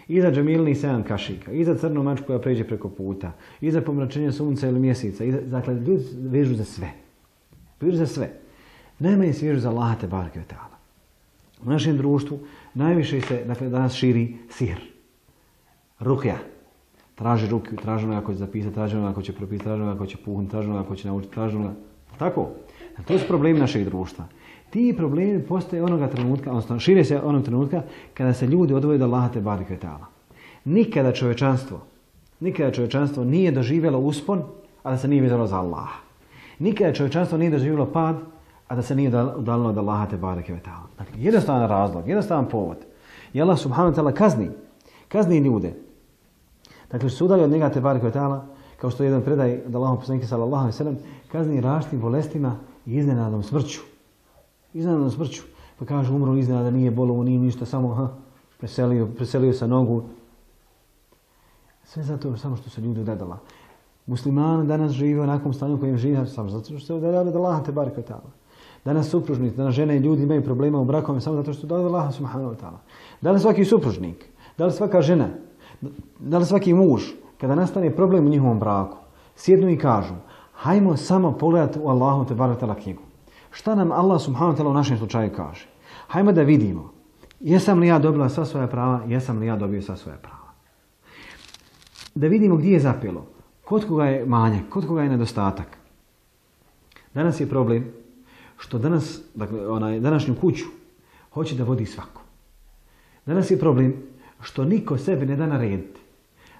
I za džamilni 7 kašika, i za crnu mačku koja pređe preko puta, i za pomračenje sunca ili mjeseca. Dakle, ljudi vežu za sve. Vežu za sve. Najmanje se vežu za Allaha te bareke ve taala. U našem društvu najviše se, dakle, danas širi sihr. Rukja. Traži rukju, traži onoga ko će zapisati, traži onoga ko će propisati, traži onoga ko će puhnuti, traži onoga ko će naučiti, traži onoga... Tako? To su problemi našeg društva. Ti problemi postoje onoga trenutka, odnosno šire se onog trenutka kada se ljudi odvoje od Allaha te bareke ve taala. Nikada čovječanstvo nije doživjelo uspon, a da se nije vezalo za Allaha. Nikada čovječanstvo nije doživjelo pad, a da se nije udaljilo od Allaha te bareke ve taala. Dakle, jednostavan razlog, jednostavan povod. I Allah subhanahu wa ta'ala kazni ljude. Dakle, što se udalje od njega te bareke ve taala, kao što je jedan predaj od Allahov poslanika sallallahu alejhi ve sellem, kazni različitim bolestima i iznenadnom smrću. Iznenadnom smrću. Pa kaže, umro iznenada, nije bolovo, nije ništa, samo preselio sa nogu. Sve zato samo što se ljudi udadala. Muslimani danas žive u onakvom stanju kojim žive samo zato što se udadali od Allaha te bareke ve taala. Danas supružnici, danas žene i ljudi imaju problema u brakovima samo zato što se udadali od Allaha subhanahu wa ta'ala. Da li svaki supružnik, da li svaka žena, da li svaki muž, kada nastane problem u njihovom braku, sjednu i kažu: hajmo samo pogledati u Allahu te bareke ve taala knjigu. Šta nam Allah subhanahu wa ta'ala u našem slučaju kaže? Hajmo da vidimo, jesam li ja dobila sva svoja prava, jesam li ja dobio sva svoja prava. Da vidimo gdje je zapelo, kod koga je manjak, kod koga je nedostatak. Danas je problem što danas, dakle, današnju kuću hoće da vodi svako. Danas je problem što niko sebi ne da narediti.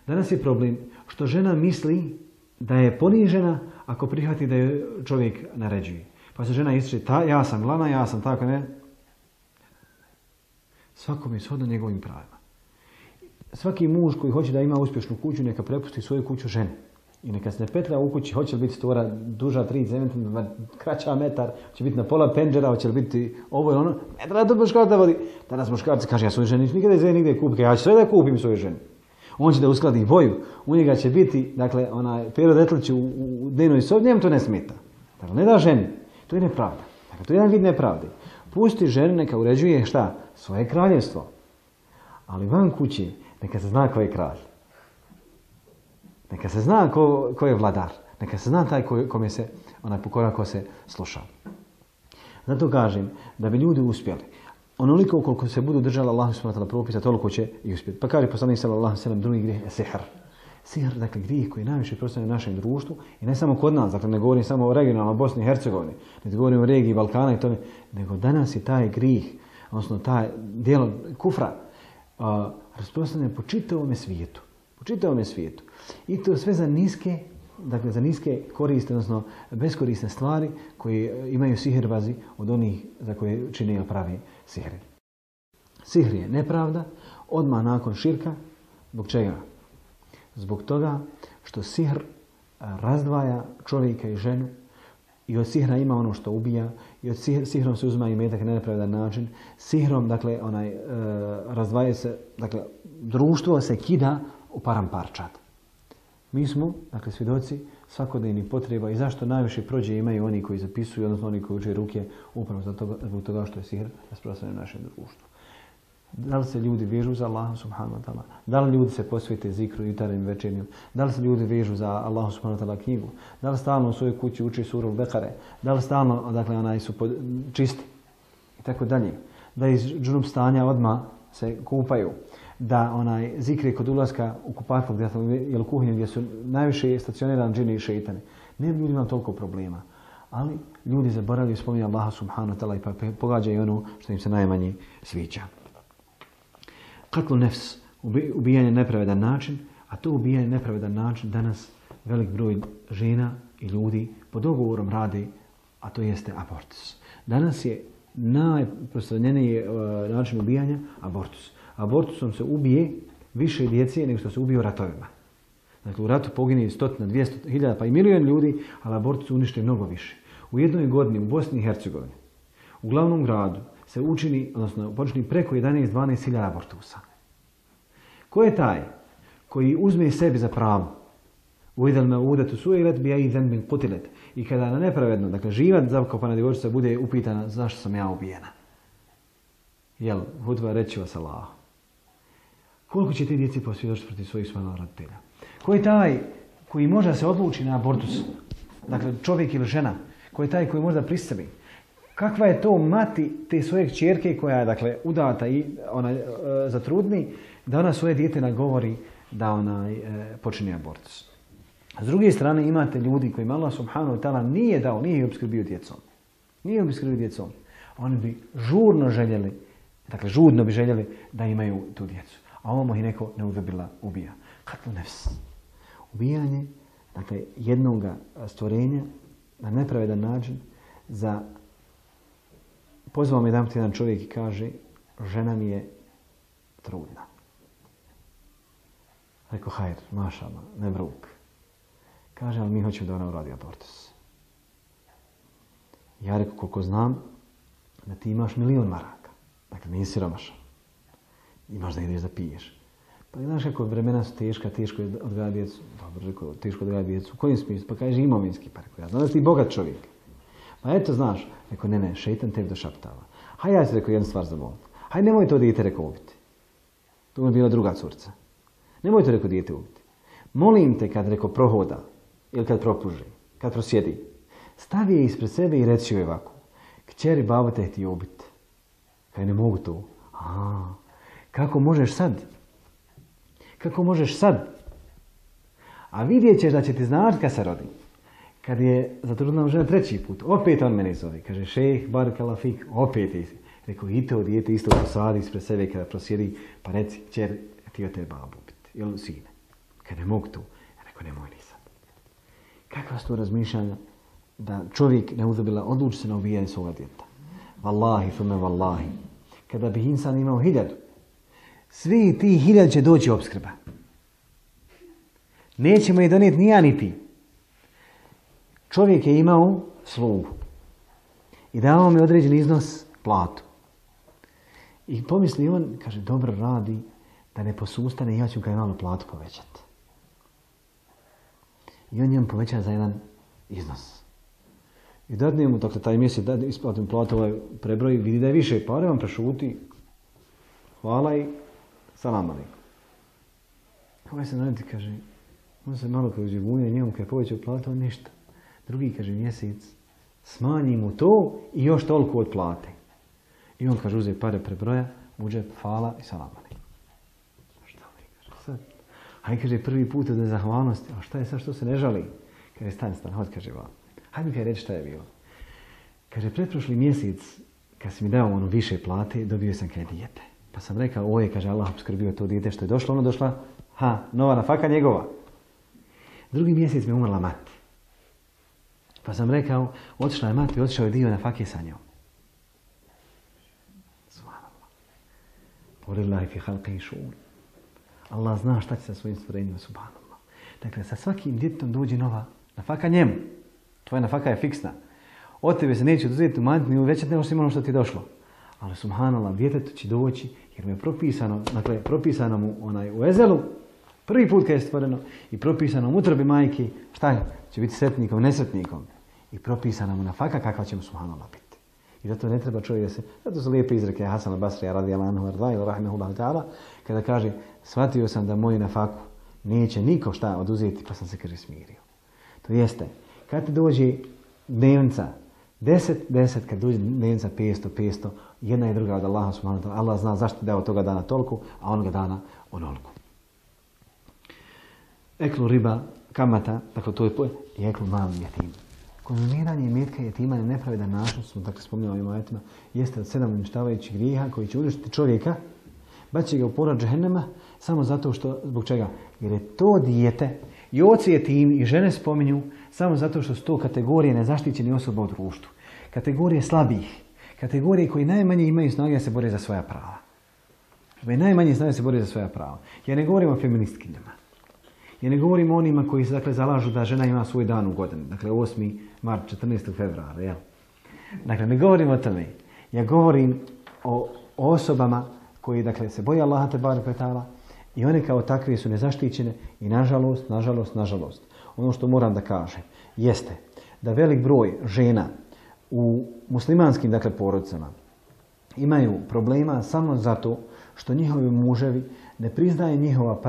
Danas je problem što žena misli da je ponižena ako prihvati da je čovjek naređuje. Pa se žena ističe, ja sam glavna, ja sam tako, ne. Svakom je shodno njegovim pravima. Svaki muž koji hoće da ima uspješnu kuću, neka prepusti svoju kuću ženi. I neka se ne petlja u kući, hoće li biti stvora duža 3 cm, kraća metar, će biti na pola pendžera, hoće li biti ovo ili ono. Ne treba to muškarac da vodi. Danas muškarac kaže, ja svoju ženi nikada iz nigdje kupim, ja ću sve da kupim svoju ženu. On će da uskladi boju, u njega će biti, dakle, onaj Pero Detlić u dnevnoj sobi, njemu to ne smeta. Dakle, ne da ženi, to je nepravda. Dakle, to je jedan vid nepravde. Pusti ženu, neka uređuje šta? Svoje kraljevstvo. Ali van kuće, neka se zna ko je kralj. Neka se zna ko je vladar. Neka se zna taj kome se, onaj pokora ko se sluša. Zato kažem, da bi ljudi uspjeli, onoliko koliko se budu držali Allahu subhanahu wa ta'ala propisa, toliko će i uspjeti. Pa kaže poslanik sallallahu alejhi ve sellem, drugi grijeh je sihr. Sihr, dakle, grijeh koji je najviše proslavljen u našem društvu i ne samo kod nas, dakle, ne govorim samo o regionalnoj Bosni i Hercegovini, ne govorim o regiji Balkana i tome, nego danas je taj grijeh, odnosno taj dijelo kufra, rasprostranjen po čitavome svijetu. Po čitavome svijetu. I to sve za niske, dakle, za niske koriste, odnosno beskorisne stvari koje imaju sihirbazi od onih za koje čine ili pravi sihri. Sihr je nepravda, odmah nakon širka. Zbog čega? Zbog toga što sihr razdvaja čovjeka i ženu i od sihra ima ono što ubija i od sihrom se uzima imetak na nepravedan način. Sihrom, dakle, razdvaja se, dakle, društvo se kida u paramparčad. Mi smo, dakle, svjedoci svakodnevnih potreba i zašto najviše prođe imaju oni koji zapisuju, odnosno oni koji uče ruke, upravo zbog toga što je sihr rasprostranjen u našem društvu. Da li se ljudi vežu za Allaha subhanahu wa ta'ala? Da li ljudi se posvete zikru jutarnjim večernjim? Da li se ljudi vežu za Allaha subhanahu wa ta'ala knjigu? Da li stalno u svojoj kući uči suru Bekare? Da li stalno, dakle, su čisti? I tako dalje. Da iz džunup stanja odmah se kupaju. Da zikre kod ulaska u kupatluk ili kuhinju gdje su najviše stacionirani džini i šeitani. Ne bi ljudi imali toliko problema. Ali ljudi zaboravljaju spominje Allaha subhanahu wa ta'ala i pa pogađaju ono što im se najmanje sviđa. Katlu nefs, ubijanje nepravedan način, a to ubijanje nepravedan način danas velik broj žena i ljudi pod dogovorom radi, a to jeste abortus. Danas je najprostranjeniji način ubijanja abortus. Abortusom se ubije više djece nego što se ubije u ratovima. Dakle, u ratu pogine 100, 200, 1000 pa i milion ljudi, ali abortus unište mnogo više. U jednoj godini u Bosni i Hercegovini, u glavnom gradu, se učini, odnosno počini preko 11-12 hiljada abortusa. Ko je taj koji uzme sebi za pravo uidel me udetu suilet bi i zenbin kutilet i kada na nepravedno, dakle živa zakopana djevojčica bude upitana zašto sam ja ubijena? Jel, hudba reći vas Allah. Koliko će ti djeci posvjedočiti protiv svojih svojih roditelja? Ko je taj koji može se odluči na abortus? Dakle, čovjek ili žena. Ko je taj koji može da pristavi? Kakva je to mati te svoje kćerke koja je dakle udata i ona zatrudni da ona svoje dijete nagovori da ona počini abortus. S druge strane imate ljudi kojima Allah subhanahu wa ta'ala nije dao, nije ih opskrbio djecom. Nije ih opskrbio djecom. Oni bi žurno željeli, dakle žudno bi željeli da imaju tu djecu. A ovamo ih neko neudobila ubija. Katlu nefs. Ubijanje, dakle jednog stvorenja na nepravedan način za... Pozvao me jedan čovjek i kaže, žena mi je trudna. Rekao, hajr, mašallah, ne bruk. Kaže, ali mi hoćemo da ona uradi abortus. Ja rekao, koliko znam, da ti imaš 1.000.000 maraka. Dakle, nisi siromašan. Imaš da ideš da piješ. Pa znaš kako vremena su teška, teško je odgajati djecu. Dobro, rekao, teško odgajati djecu. U kojim smislu? Pa kaže, imovinski. Pa rekao, ja znam da si ti bogat čovjek. Pa eto, znaš. Rekao, ne, šeitan tebi došaptava. Hajde, ja ti rekao jednu stvar za molit. Hajde, nemoj to dijete rekao ubiti. To mi je bila druga curca. Nemoj to rekao dijete ubiti. Molim te kad rekao prohoda, ili kad propuži, kad prosjedi, stavi je ispred sebe i reci joj ovako. Kćeri, babo te htio ubiti. Kaj ne mogu to. Kako možeš sad? Kako možeš sad? A vidjet ćeš da će ti znati kad se rodi. Kad je zatrudna žena 3. put, opet on mene zove. Kaže, šejh, barakallahu fik, opet je. Rekao, i to dijete isto posadi ispred sebe kada prosjedi, pa reci, kćer, htio te babu ubiti. Ili sine. Kad ne mogu to. Ja rekao, nemoj ni sad. Kakva su to razmišljanja da čovjek ne uzabila odluči se na ubijanje svoga djeta. Wallahi, thumme wallahi. Kada bi insan imao 1000, svi ti 1000 će doći opskrba. Nećemo je donijeti ni ja ni ti. Čovjek je imao slugu i dao mi određen iznos platu. I pomisli on, kaže, dobro radi, da ne posustane, ja ću ga malo platu povećati. I on njemu poveća za jedan iznos. I dadne mu, dakle, taj mjesec da isplatim platu, ovaj prebroj, vidi da je više pare, on prešuti, hvala i salam alejkum. Ovaj se naredi, kaže, on se malo kao živunja njemu, kada je povećao platu, on ništa. Drugi, kaže, mjesec, smanji mu to i još toliko od plate. I on, kaže, uze pare prebroja, uđe, hvala i salam alejkum. Šta mi kaže sad? Hajde, kaže, prvi put od nezahvalnosti, a šta je sad, što se ne žali? Kaže, stan, hod, kaže, vam. Hajde mi kaj reći šta je bilo. Kaže, pretprošli mjesec, kad si mi dao ono više plate, dobio sam kaj dijete. Pa sam rekao, ovo je, kaže, Allah obskrbio to dijete što je došlo, ono došla, nova nafaka njegova. Drugi mjesec mi je umrla mati. Pa sam rekao, otišla je mati, otišao je dio nafake sa njom. Subhanallah. Polillahi fi halqihi šu'un. Allah zna šta će sa svojim stvorenjima, subhanallah. Dakle, sa svakim djetetom dođe nova nafaka njemu. Tvoja nafaka je fiksna. Od tebe se neće oduzeti umanjiti ni uvećati nego što ono što ti je došlo. Ali subhanallah, djetetu će doći jer mu je propisano, dakle, propisano mu u ezelu, prvi put kad je stvoreno, i propisano mu utrobi majke, šta će biti sretnikom, nesretnikom. I propisana mu nafaka kakva će mu subhanallah biti. I zato ne treba čovjek da se, zato su lijepe izreke Hasan al-Basrija radijallahu anhu arda ili rahimehullahu ta'ala, kada kaže, shvatio sam da moju nafaku neće niko šta oduzeti, pa sam se, kaže, smirio. To jeste, kad ti dođe dnevnica 10, kad dođe dnevnica 500, jedna i druga od Allaha subhanahu wa ta'ala, Allah zna zašto ti dao toga dana toliko, a onoga dana onoliko. Eklu riba, kamata, dakle to je jeklu mali jetim. Konzumiranje imetka jetima na nepravedan način, smo dakle spominjali ovim ajetima, jeste od 7 uništavajućih grijeha koji će uništiti čovjeka, baci ga u porad džehennema, samo zato što, zbog čega? Jer je to dijete, i oci jetimi i žene spominju, samo zato što su to kategorije nezaštićenih osoba u društvu. Kategorije slabih, kategorije koji najmanje imaju snage da se bore za svoja prava. Najmanje snage da se bore za svoja prava. Ja ne govorim o feministkinjama. Ja ne govorim o onima koji se dakle zalažu da žena ima svoj dan u godini. Dakle, 8. mart, 14. februara. Jel? Dakle, ne govorim o tome. Ja govorim o osobama koji dakle, se boje Allaha tebareke ve taala i one kao takve su nezaštićene i nažalost, ono što moram da kažem jeste da velik broj žena u muslimanskim dakle, porodicama imaju problema samo zato što njihovi muževi ne priznaje njihova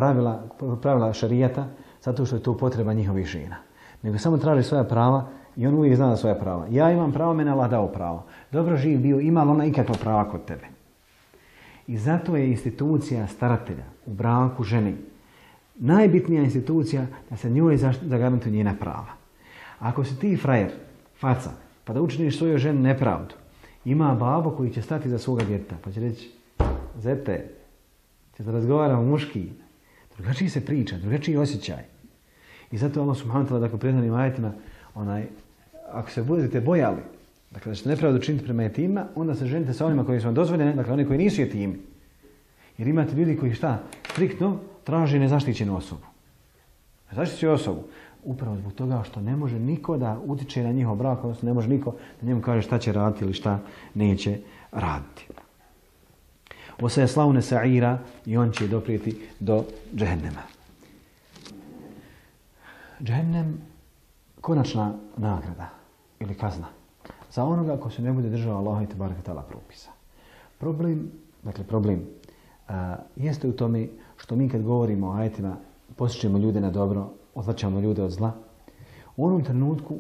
pravila šarijata zato što je to potreba njihovih žena. Nego samo traži svoja prava i on uvijek zna da svoja prava. Ja imam pravo, mene Allah dao pravo. Dobro živ bio, ima li ona ikakva prava kod tebe? I zato je institucija staratelja u braku ženi najbitnija institucija da se njoj zagarantuje njena prava. Ako si ti frajer, faca, pa da učiniš svojoj ženi nepravdu, ima babo koji će stati za svoga djeteta, pa će reći, zete, će da razgovaramo muški, drugačiji se priča, drugačiji osjećaj. I zato Allah subhanahu wa ta'ala, dakle, prethodnim ajetima, ako se budete bojali, dakle, da ćete nepravdu činiti prema jetima, onda se ženite sa onima koji su vam dozvoljeni, dakle, oni koji nisu jetimi. Jer imate ljudi koji šta? Striktno traži nezaštićenu osobu. Nezaštićenu osobu. Upravo zbog toga što ne može niko da utiče na njihov brak, odnosno ne može niko da njemu kaže šta će raditi ili šta neće raditi. Osaje slavne sa'ira i on će doprijeti do džehennema. Džehennem, konačna nagrada ili kazna za onoga ko se ne bude držao Allaha i tebareke ta'ala propisa. Problem jeste u tome što mi kad govorimo o ajetima posjećamo ljude na dobro, odvraćamo ljude od zla. U onom trenutku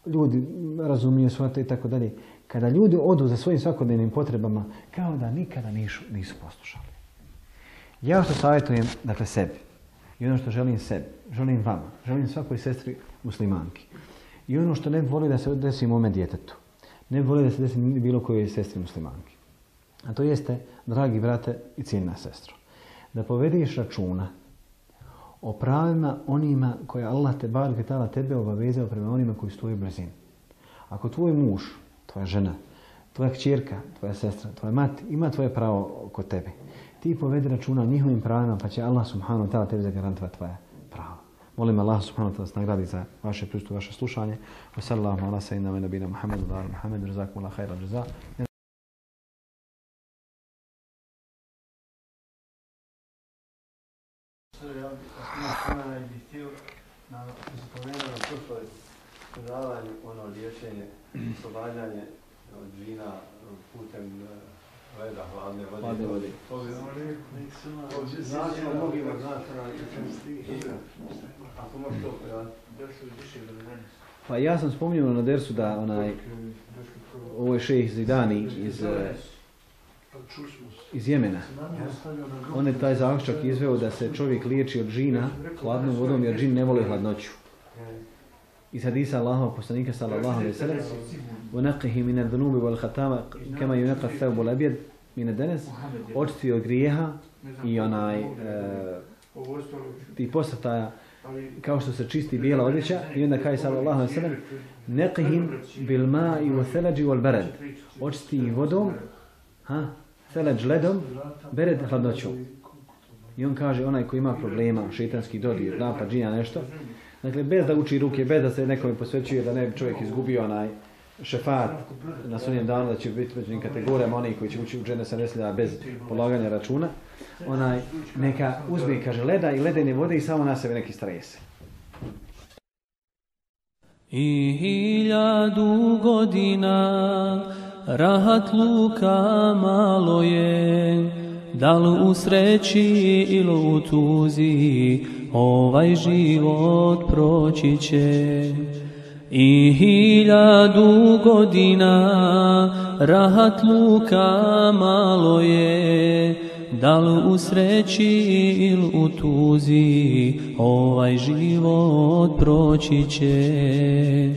ljudi razumiju shvate i tako dalje. Kada ljudi odu za svojim svakodnevnim potrebama, kao da nikada nisu poslušali. Ja što savjetujem, dakle, sebi, i ono što želim sebi, želim vama, želim svakoj sestri muslimanki. I ono što ne bi volio da se desi mome djetetu, ne bi volio da se desi bilo kojoj sestri muslimanki. A to jeste, dragi brate i cijenina sestro, da povediš računa o pravima onima koje Allah tebareke ta'ala tebe obavezao prema onima koji su tvoji blizini. Ako tvoj muž, tvoja žena, tvoja kćerka, tvoja sestra, tvoja mati ima tvoje pravo kod tebe, ti povedi računa o njihovim pravima pa će Allah subhanahu wa ta'ala tebi zagarantovati tvoja prava. Molim Allah subhanahu wa ta'ala nagradi za vaše prisustvo, vaše slušanje. Wa sallallahu ala sayyidina wa nabina Muhammedu wa ala Muhammedu jazakumullahu khairan jaza. Na prošloj predavanju liječenje, oslobađanje od džina putem leda, hladne vode. Znači, mnogima ako možeš to pa ja sam spominjao na dersu da ovo je šejh Zidani iz Jemena. On je taj zaključak izveo da se čovjek liječi od džina hladnom vodom jer džin ne voli hladnoću. Iz hadisa Allahova poslanika sallallahu alejhi ve sellem: "Wa min adh-dhunubi wal khatama kama yunqa ath-thawb al-abyad min ad-danas", očisti od grijeha i ti posrtaja kao što se čisti bijela odjeća. I onda kaže sallallahu alejhi ve sellem: "Naqihim bil ma'i wa thalaj wal barad", očisti vodom, thalaj ledom, bered hladnoćom. I on kaže onaj koji ima problema, šejtanski dodir, napad džina nešto, dakle bez da uči ruke, bez da se nekome posvećuje da ne bi čovjek izgubio šefat na sudnjem danu, da će biti među kategorijama onih koji će ući u džennet sa neslja bez polaganja računa, neka uzme, kaže, leda i ledene vode i samo na sebe neki strese. I 1000 godina rahatluka malo je, da li u sreći ili u tuzi ovaj život proći će. I 1000 godina rahatluka malo je, da li u sreći ili u tuzi, ovaj život proći će.